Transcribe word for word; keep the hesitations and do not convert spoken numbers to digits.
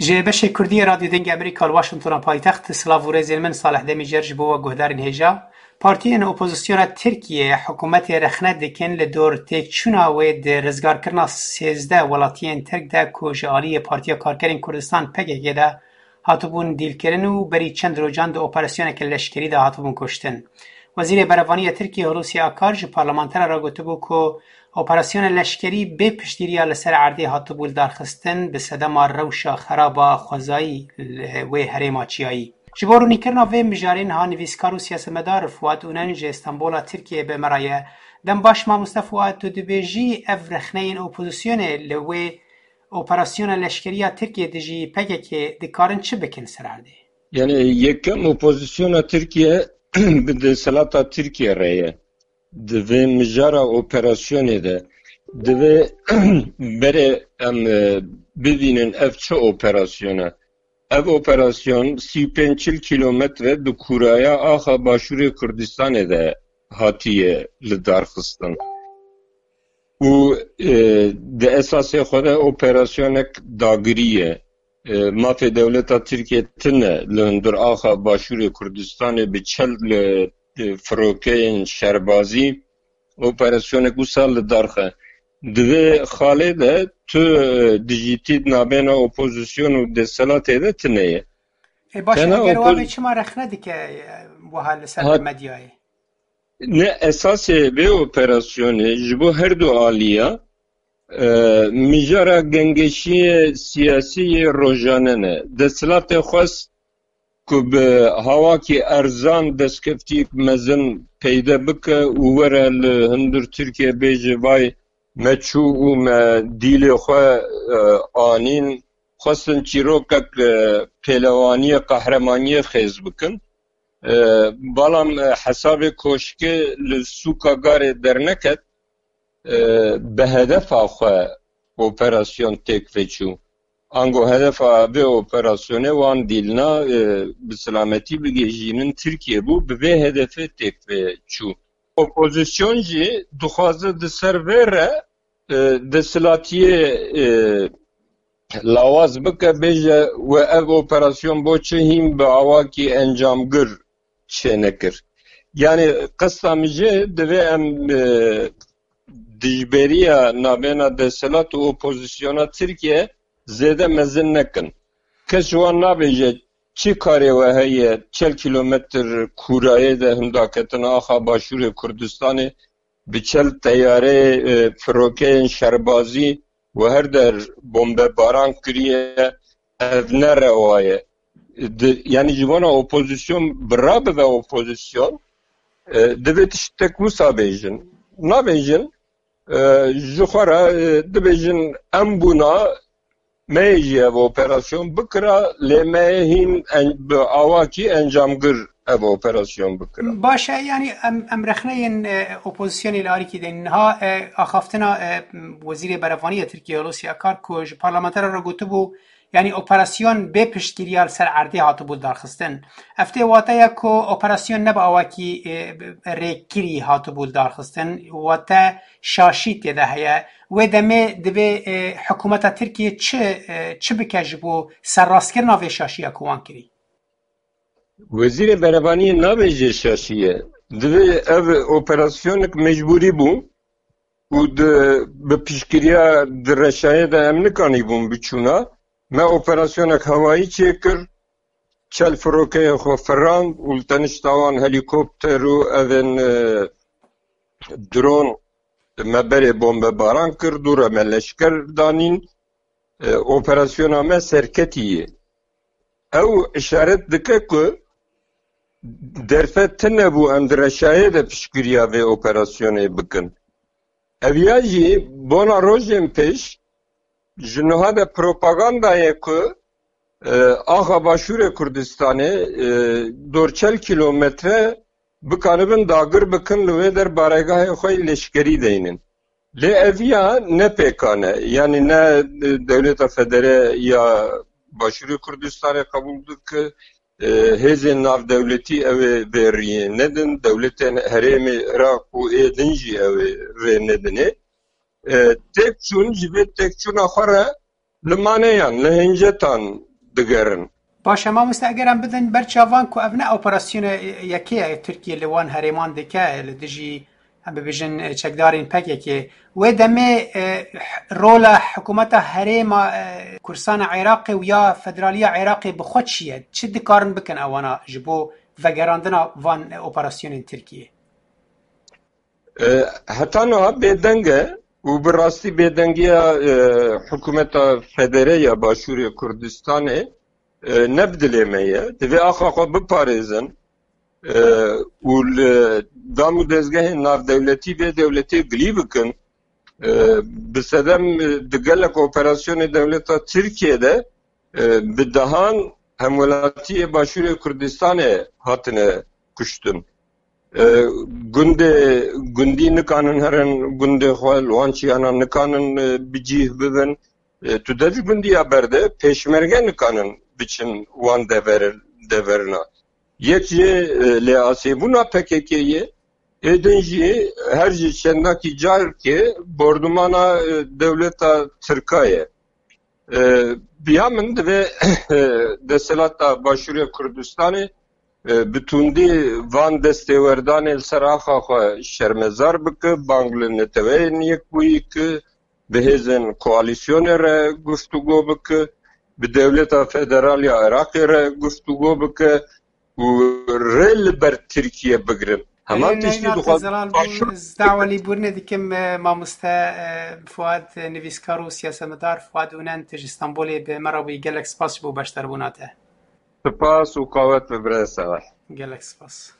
Ji beşê Kurdî yê Radyo Dengê Amerîka li Washingtona paytext, silav û rêzên min Salih Demîcer ji bo we guhdarên hêja. Partiyên opozisyona Tirkiyeyê hikûmetê rexne dikin li dor têkçûna wê di rizgarkirina sêzdeh welatiyên Tirk de ku ji aliyê Partiya Karkerên Kurdistan P K K de hatibûn dîlkirin û berî çend rojan di operasyoneke leşkerî de hatibûn kuştin. Wezîrê Berevanî ya Tirkiyê Hulusi Akar ji parlamenteran re gotibû ku operasyona leşkerî bê piştgiriya li ser erdê hatibû lidarxistin, bi sedema rewşa xeraba xwezayî li wê herêma çiyayî. Ji bo rûnîkirina vê mijarê niha nivîskar û siyasetmedar Fuat Unen ji Stenbola Tirkiyeyê bi me re ye. Dem baş mamoste Fuat, tu dibêjî ev rexneyên opozisyonê li wê operasyona leşkerî ya Tirkiyê dijî P K K dikarin çi bikin ser erdê? Yani yekem opozisyona Tirkiye bi desthilata Tirkiye re ye. Di vê mijara operasyonê de divê berê em, e, bibînin ev çi operasyona. Ev operasyon sî û pênc çil kîlometre di kûraya axa Başûrê Kurdistanê de hatiye lidarxistin. Û, e, di esasê xwe de operasyonek dagirî ye. E, mafê dewleta Tirkiye tune li hundir axa Başûrê Kurdistanê bi çel, e, firokeyên şerbazî operasyonek wisa li dar xe. Di vê xalê de tu, e, dijîtî nabêna opozisyon û desthilatê de tune ye. Ê, baş, Tena eger opol- wabê çima rexne dike, e, wiha li ser Ha- medyayê? Ne esasê vê operasyonê ji bo her du aliya, e, mijara gengeşiyê siyasî yê rojane ne. Desthilatê xwest ku bi hawakî erzan destkeftiyek mezin peyde bike û were li hundir Tirkiye bêje vay me çû û me dîlê xwe, e, anîn, xwestin çîrokek, e, pêlewaniyê, qehremaniyê xêz bikin. E, balam, e, hesabê koşkê li sûka Garê derneket, e, bi hedefa xwe operasyon têk ve çû. Ango hedefa vê operasyonê wan dîlna, e, bi selametî bigihîjînin Tirkiye bû, bi vê hedefê têk ve çû. Opozisyon jî dixwaze di ser vê re, e, desthilatiyê, e, lawaz bike, bêje we ev operasyon bo çi hîn bi awakî encamgir çênekir. Yani qesta min jê divê em, e, dijberiya navêna desthilat û opozisyona Tirkiye zêde mezin nekin. Kes ji wan nabêje çi karê we heye çel kîlometr kûrayê de hindaketina axa Başûrê Kurdistanê bi çel teyareyê, e, firokeyên şerbazî û her der bombebaran kiriye, ev ne rewa ye. Di, yani ji bona opozisyon bi rabive opozisyon, e, divê tiştek wisa bêjin. Nabêjin, e, ji xwe re, e, dibêjin em bûna me yê jî ev operasyon bikira, lê me yê hîn en-, bi awakî encamgir ev operasyon bikira. Baş e, yani em, em rexneyên, e, opozisyonê li arîkî de niha, e, axaftina, e, Wezîrê Berevanî ya Tirkiye Hulusi Akar ku ji parlamenteran re gotibû, yani operasyon bê piştgiriya li ser erdê hatibû lidarxistin. Ev tê wateya ku operasyon ne bi awakî, e, rêkirî hatibû lidarxistin, wate şaşî tê de heye. Wê demê divê, e, hikûmeta Tirkiyê çi, e, çi bike ji bo serrastkirina vê şaşiya ku wan kirî? Wezîrê Berevaniyê nabêje şaşî ye. Divê ev operasyonek mecbûrî bû û di, bi piştgiriya di reşayê de em nikanîbûn biçûna. Me operasyonek hewayî çêkir, çel firokeyê xwe firand û li tenişta wan helîkopter û evên, e, dron me berê bombebaran kir, dû re me leşker danîn. E, operasyona me serketî ye. Ew işaret dike ku derfet tune bû em di reşayê de piştgiriya vê operasyonê bikin. Ev ya jî bona rojên pêş ji niha de propaganda ye ku, e, axa Başûrê Kurdistanê, e, dor çel kîlometre bikanibin dagir bikin, li wê der baregahê xwe yê leşkerî deynin. Lê ev ya ne pêkan e. Yanî ne, e, dewleta federe ya Başûrê Kurdistanê qebûl dike, e, hêzên navdewletî ew ê vê riyê nedin, dewletên herêmê Iraq û ê din jî ew ê vê nedinê. E, têk çûn, ji vê têkçûna xwe re li maneyan, li hincetan, digerin. Baş e, mamoste, eger em bidin ber çavan ku ev ne operasyona yekê ye Tirkiye li wan herêman dike li dijî, em bibêjin, çekdarên P K K. Wê demê, e, rola hikûmeta herêma, e, Kurdistana Iraqê û ya federaliya Iraqê bi xwe çi ye? Çi dikarin bikin ewana ji bo vegerandina van operasyonên Tirkiye? E, heta niha bêdeng e û bi rastî bêdengiya, e, hikûmeta federe ya Başûrê Kurdistanê, e, ne bi dilê me ye. Divê axa xwe biparêzin, e, û li dam û dezgehên navdewletî vê dewletê gilî bikin. E, bi sedem, e, di gelek operasyonê dewleta Tirkiye de, e, bi dehan hemwelatiyê Başûrê Kurdistanê hatine kuştin. E, gundê, gundî nikanin herin gundê xwe, li wan çiyana nikanin, e, bi cîh bibin. E, tu dê ji gundiya berde pêşmerge nikanin biçin wan dever-, deverina. Yek jî, e, lê asêbûna P K K ye, ê din jî her ji çendakî carkê bordumana, e, dewleta Tirka ye. E, bi ya min divê, e, desthilata Başûrê Kurdistanê, e, bi tundî van destêwerdanê li ser axa xwe şermezar bike, bang li Neteweyên Yekbûyî ki, bi hêzên koalîsyonê re guftûgo bike, bi dewleta federal ya Iraqê re guftûgo bike û rê li ber Tirkiye bigrin. Heman Erê tiştî neyna te dixwazim zelal bû, ez dawalî bûrinê dikim, e, mamoste, e, Fuad, e, nivîskar û siyasetmedar Fuad Ûnen, tu ji Stenbolê bi me re bûyî. Gelek spas ji bo beşdarbûna te. Spas û qawet bi birêz Selal. Gelek spas.